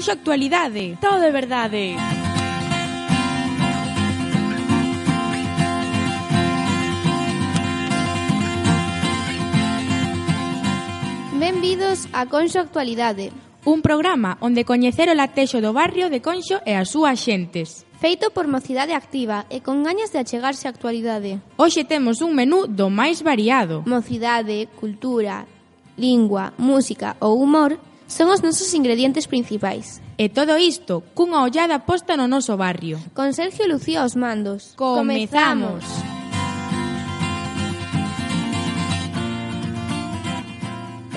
Conxo Actualidade. Todo é verdade. Benvidos a Conxo Actualidade, un programa onde coñecer o latexo do barrio de Conxo e as súas xentes. feito por Mocidade Activa e con gañas de achegarse á actualidade. Hoxe temos un menú do máis variado. Mocidade, cultura, lingua, música ou humor son os nosos ingredientes principais. E todo isto cunha ollada posta no noso barrio. Con Sergio Lucía aos mandos. Comezamos!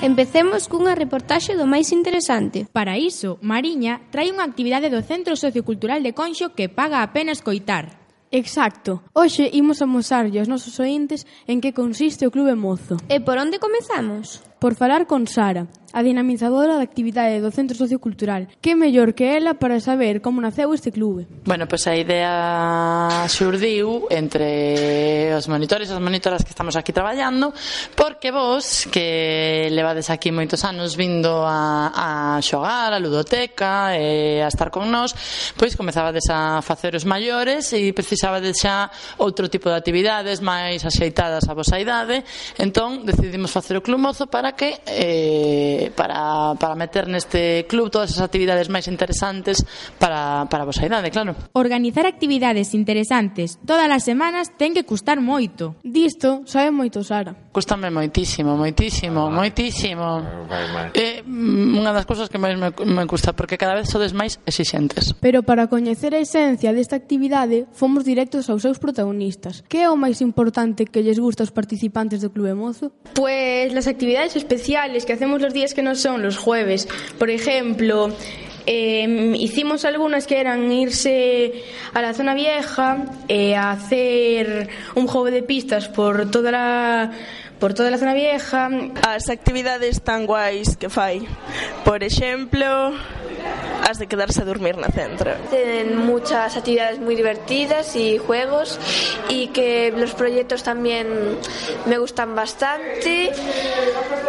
Empecemos cunha reportaxe do máis interesante. Para iso, Mariña trae unha actividade do Centro Sociocultural de Conxo que paga a pena escoitar. Exacto. Hoxe imos amosarlle aos nosos ointes en que consiste o Clube Mozo. E por onde comezamos? Por falar con Sara, a dinamizadora da actividade do Centro Sociocultural. Que mellor que ela para saber como naceu este clube. Bueno, pois a idea xurdiu entre os monitores e as monitoras que estamos aquí traballando, porque vos, que levades aquí moitos anos vindo a xogar, a ludoteca e a estar con nós, pois comezabades a facer os maiores e precisabades xa outro tipo de actividades máis axeitadas a vosa idade. Entón decidimos facer o Club Mozo para que para meter neste club todas as actividades máis interesantes para a vosa idade, claro. Organizar actividades interesantes todas as semanas ten que custar moito. Disto sabe moito Sara. Cústame moitísimo. É unha das cousas que máis me custa, porque cada vez sodes máis exixentes. Pero para coñecer a esencia desta actividade, fomos directos aos seus protagonistas. Que é o máis importante que lles gusta aos participantes do Clube Mozo? Pues las actividades especiales que hacemos los días que no son los jueves. Por ejemplo, hicimos algunas que eran irse a la zona vieja, a hacer un juego de pistas por toda la zona vieja. As actividades tan guais que fai, por exemplo, as de quedarse a dormir na centro. Tienen muchas actividades muy divertidas y juegos, y que los proyectos también me gustan bastante,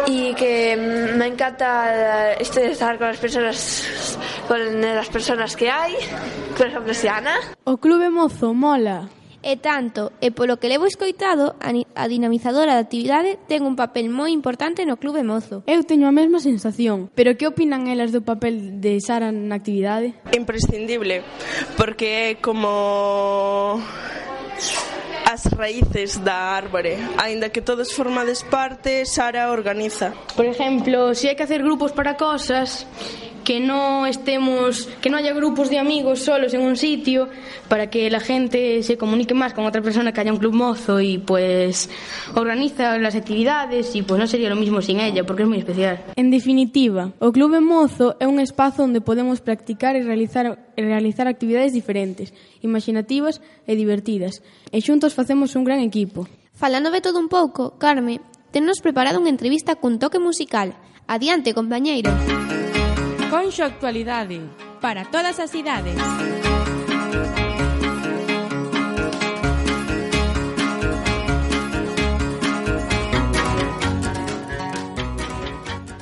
y que me encanta estar con las personas que hay, por ejemplo, Siana. O Clube Mozo mola. E tanto, e polo que levo escoitado, a dinamizadora da actividade ten un papel moi importante no Clube Mozo. Eu teño a mesma sensación, pero que opinan elas do papel de Sara na actividade? Imprescindible, porque é como as raíces da árbore. Aínda que todos formades parte, Sara organiza. Por ejemplo, si hay que hacer grupos para cosas, que no haya grupos de amigos solos en un sitio, para que la gente se comunique más con otra persona que haya un Club Mozo, y pues organiza las actividades, y pues no sería lo mismo sin ella, porque es muy especial. En definitiva, o Clube Mozo é un espazo onde podemos practicar e realizar actividades diferentes, imaginativas e divertidas, e xuntos facemos un gran equipo. Falando de todo un pouco, Carme, tennos preparado unha entrevista cun toque musical. Adiante, compañeiro. Conxo Actualidade, para todas as idades.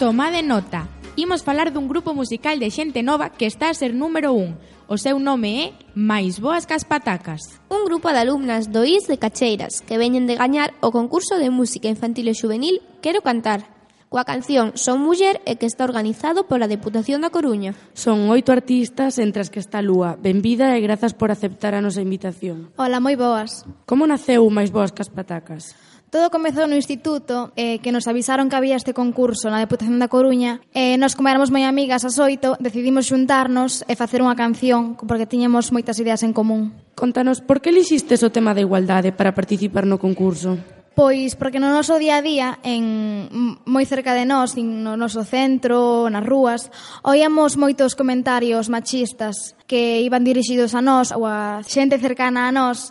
Tomade nota, imos falar dun grupo musical de xente nova que está a ser número 1. O seu nome é Máis Boas que as Patacas. Un grupo de alumnas do IS de Cacheiras que veñen de gañar o concurso de música infantil e juvenil Quero Cantar, coa canción Son Muller, e que está organizado pola Deputación da Coruña. Son 8 artistas, entre as que está Lúa. Benvida e grazas por aceptar a nosa invitación. Hola, moi boas. Como naceu Máis Boas que as Patacas? Todo comezou no instituto, que nos avisaron que había este concurso na Deputación da Coruña, e nós, como éramos moi amigas as 8, decidimos xuntarnos e facer unha canción, porque tiñamos moitas ideas en común. Contanos, por que elixistes o tema da igualdade para participar no concurso? Pois porque no noso día a día, moi cerca de nós, no noso centro, nas rúas, oíamos moitos comentarios machistas que iban dirixidos a nós ou a xente cercana a nós,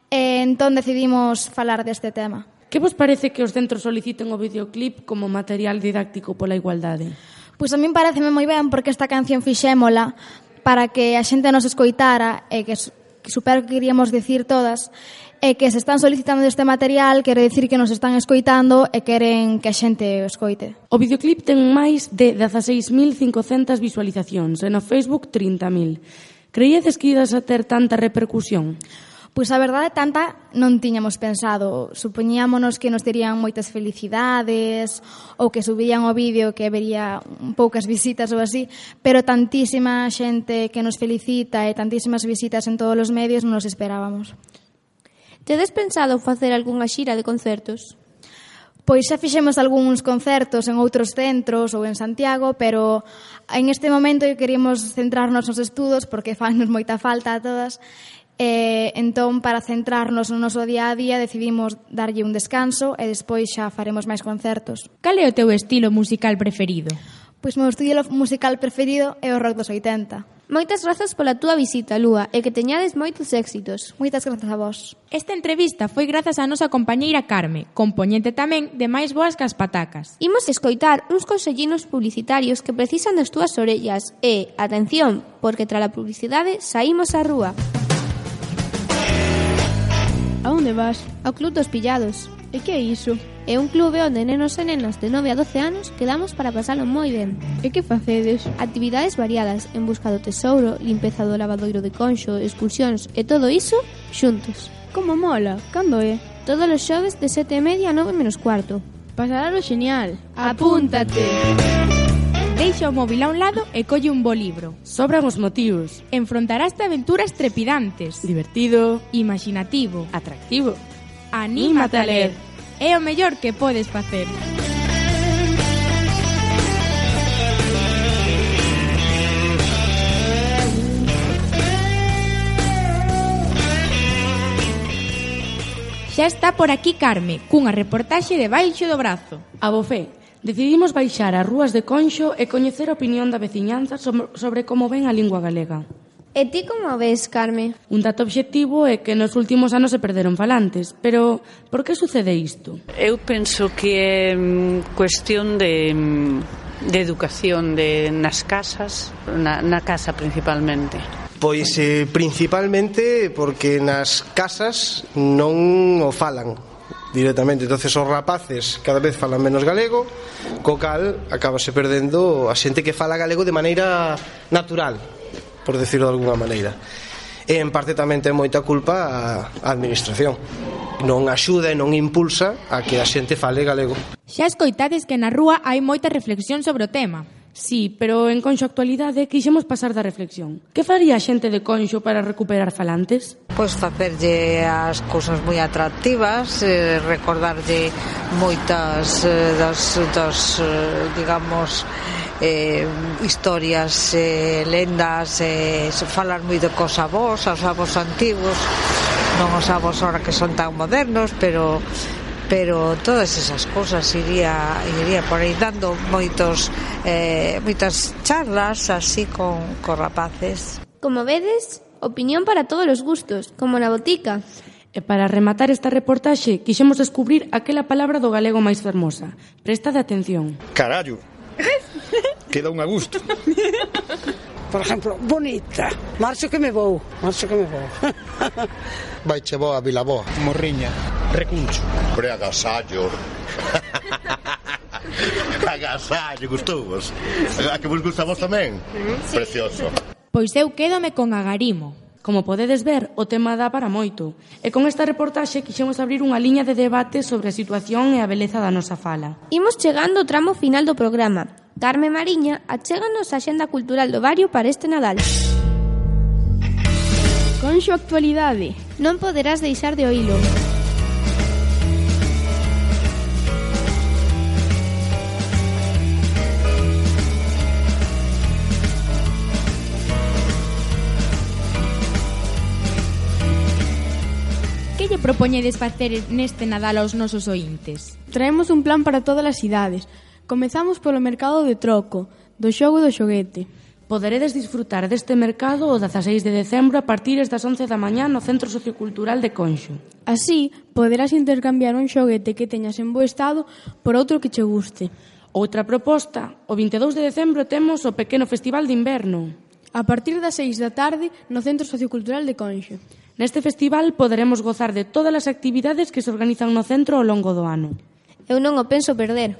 e entón decidimos falar deste tema. Que vos parece que os centros soliciten o videoclip como material didáctico pola igualdade? Pois a min pareceme moi ben, porque esta canción fixémola para que a xente nos escoitara e que supera o que queríamos dicir todas, e que se están solicitando este material quere dicir que nos están escoitando e queren que a xente o escoite. O videoclip ten máis de 16.500 visualizacións e no Facebook 30.000. Creíades que idas a ter tanta repercusión? Pois a verdade tanta non tiñamos pensado. Supoñíamonos que nos terían moitas felicidades ou que subirían o vídeo que vería poucas visitas ou así, pero tantísima xente que nos felicita e tantísimas visitas en todos os medios non nos esperábamos. Tedes pensado facer algunha xira de concertos? Pois xa fixemos algúns concertos en outros centros ou en Santiago, pero en este momento queríamos centrarnos nos estudos porque fannos moita falta a todas. Entón, para centrarnos no noso día a día, decidimos darlle un descanso e despois xa faremos máis concertos. Cal é o teu estilo musical preferido? Pois o meu estilo musical preferido é o rock dos 80. Moitas grazas pola túa visita, Lúa, e que teñades moitos éxitos. Moitas grazas a vos. Esta entrevista foi grazas á nosa compañeira Carme, compoñente tamén de Máis Boas que as Patacas. Imos escoitar uns consellinos publicitarios que precisan das túas orellas e, atención, porque tras a publicidade saímos á rúa. A onde vas? Ao Club dos Pillados. E que é iso? É un clube onde nenos e nenas de 9 a 12 anos quedamos para pasalo moi ben. E que facedes? Actividades variadas en busca do tesouro, limpeza do lavadoiro de Conxo, expulsións e todo iso xuntos. Como mola? Cando é? Todos os xoves de 7:30 a 9:45. Pasaralo genial. Apúntate! Deixa o móvil a un lado e colle un bo libro. Sobran os motivos. Enfrontaraste aventuras trepidantes. Divertido, Imaginativo. atractivo. Anímate a ler. É o mellor que podes facer. Xa está por aquí Carme, cunha reportaxe de baixo do brazo. A bofé, decidimos baixar ás rúas de Conxo e coñecer a opinión da veciñanza sobre como ven a lingua galega. E ti como ves, Carme? Un dato obxectivo é que nos últimos anos se perderon falantes, pero por que sucede isto? Eu penso que é cuestión de educación nas casas, na casa principalmente. Pois principalmente porque nas casas non o falan directamente, entonces os rapaces cada vez falan menos galego, co cal acabase perdendo a xente que fala galego de maneira natural, por decirlo de alguna maneira. E en parte tamén ten moita culpa a administración. Non axuda e non impulsa a que a xente fale galego. Xa escoitades que na rúa hai moita reflexión sobre o tema. Sí, pero en Conxo Actualidade quixemos pasar da reflexión. Que faría a xente de Conxo para recuperar falantes? Pois facerlle as cousas moi atractivas, recordarlle moitas das digamos, historias, lendas, falar moi de cos avós, aos avós antigos, non os avós ahora que son tan modernos, pero todas esas cousas iría por aí dando moitas charlas así con rapaces. Como vedes, opinión para todos os gustos, como na botica. E para rematar esta reportaxe, quixemos descubrir aquela palabra do galego máis fermosa. Prestade atención. Carallo. Queda un a gusto. Por exemplo, bonita. Marcho que me vou. Vaiche boa a Vilaboa. Morriña. Recuncho. Agasallo. Agasallo, gustovos. A que vos gusta a vos tamén? Sí. Precioso. Pois eu quédome con agarimo. Como podedes ver, o tema dá para moito. E con esta reportaxe quixemos abrir unha liña de debate sobre a situación e a beleza da nosa fala. Imos chegando ao tramo final do programa. Carme Mariña achéganos a Axenda Cultural do Barrio para este Nadal. Conxo Actualidade. Non poderás deixar de oílo. Que lle propoñedes facer neste Nadal aos nosos ointes? Traemos un plan para todas as idades. Comezamos polo mercado de troco, do xogo do xoguete. Poderedes disfrutar deste mercado o 16 de decembro a partir das 11 da mañá no Centro Sociocultural de Conxo. Así, poderás intercambiar un xoguete que teñas en bo estado por outro que che guste. Outra proposta, o 22 de decembro temos o pequeno festival de inverno. A partir das 6 da tarde no Centro Sociocultural de Conxo. Neste festival poderemos gozar de todas as actividades que se organizan no centro ao longo do ano. Eu non o penso perder.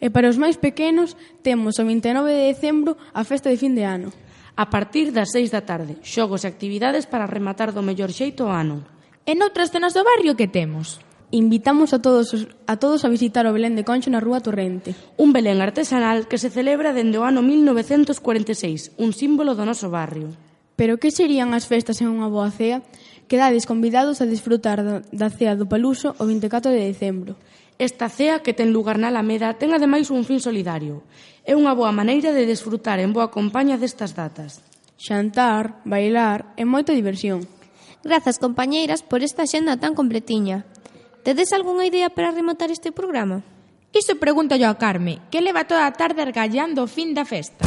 E para os máis pequenos temos o 29 de decembro a festa de fin de ano. A partir das 6 da tarde, xogos e actividades para rematar do mellor xeito o ano. E noutras zonas do barrio que temos? Invitamos a todos a visitar o Belén de Concho na Rúa Torrente. Un Belén artesanal que se celebra dende o ano 1946, un símbolo do noso barrio. Pero que serían as festas en unha boa cea? Quedades convidados a disfrutar da cea do Paluso o 24 de decembro. Esta cea que ten lugar na Alameda ten ademais un fin solidario. É unha boa maneira de desfrutar en boa compañía destas datas. Xantar, bailar e moita diversión. Grazas, compañeiras, por esta xenda tan completiña. Tedes algunha idea para rematar este programa? Iso pregunto yo a Carme, que leva toda a tarde argallando o fin da festa.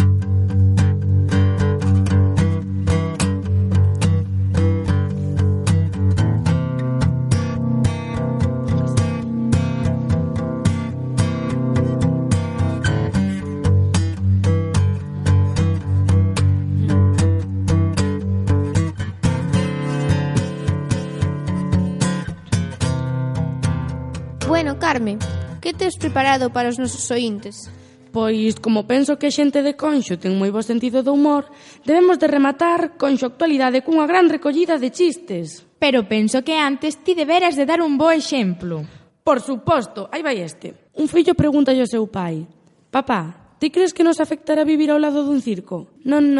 Bueno, Carme, que tes preparado para os nosos ointes? Pois, como penso que a xente de Conxo ten moi bo sentido do humor, debemos de rematar Conxo Actualidade cunha gran recollida de chistes. Pero penso que antes ti deberas de dar un bo exemplo. Por suposto, aí vai este. Un fillo pregunta ao seu pai: Papá, ti crees que nos afectará vivir ao lado dun circo? Non.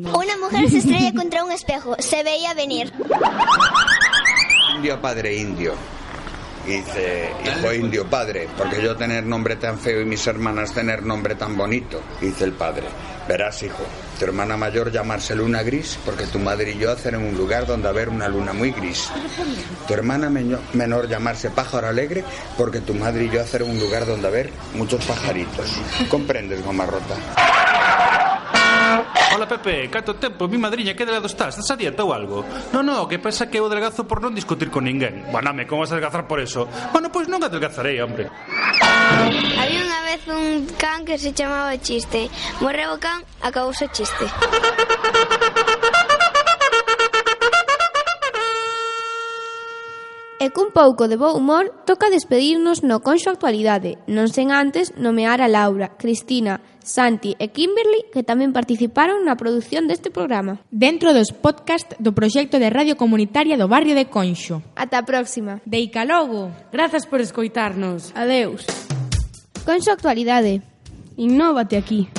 Una mujer se estrella contra un espejo, se veía venir. Indio padre indio. Dice, hijo indio padre, porque yo tener nombre tan feo y mis hermanas tener nombre tan bonito. Dice el padre, verás hijo, tu hermana mayor llamarse luna gris, porque tu madre y yo hacer en un lugar donde haber una luna muy gris. Tu hermana menor llamarse pájaro alegre, porque tu madre y yo hacer en un lugar donde haber muchos pajaritos. ¿Comprendes, goma rota? Hola Pepe, canto tempo, mi madriña, que delgado estás? Estás a dieta ou algo? No, que pasa que eu adelgazo por non discutir con ninguén. Baname, como vas a adelgazar por eso? Bueno, pois non adelgazarei, hombre. Había unha vez un can que se chamaba Chiste. Morreu o can, acabouse o chiste. E cun pouco de bo humor toca despedirnos no Conxo Actualidade, non sen antes nomear a Laura, Cristina, Santi e Kimberly, que tamén participaron na produción deste programa. Dentro dos podcast do proxecto de radio comunitaria do barrio de Conxo. Ata a próxima. Deica logo. Grazas por escoitarnos. Adeus. Conxo Actualidade. Innóvate aquí.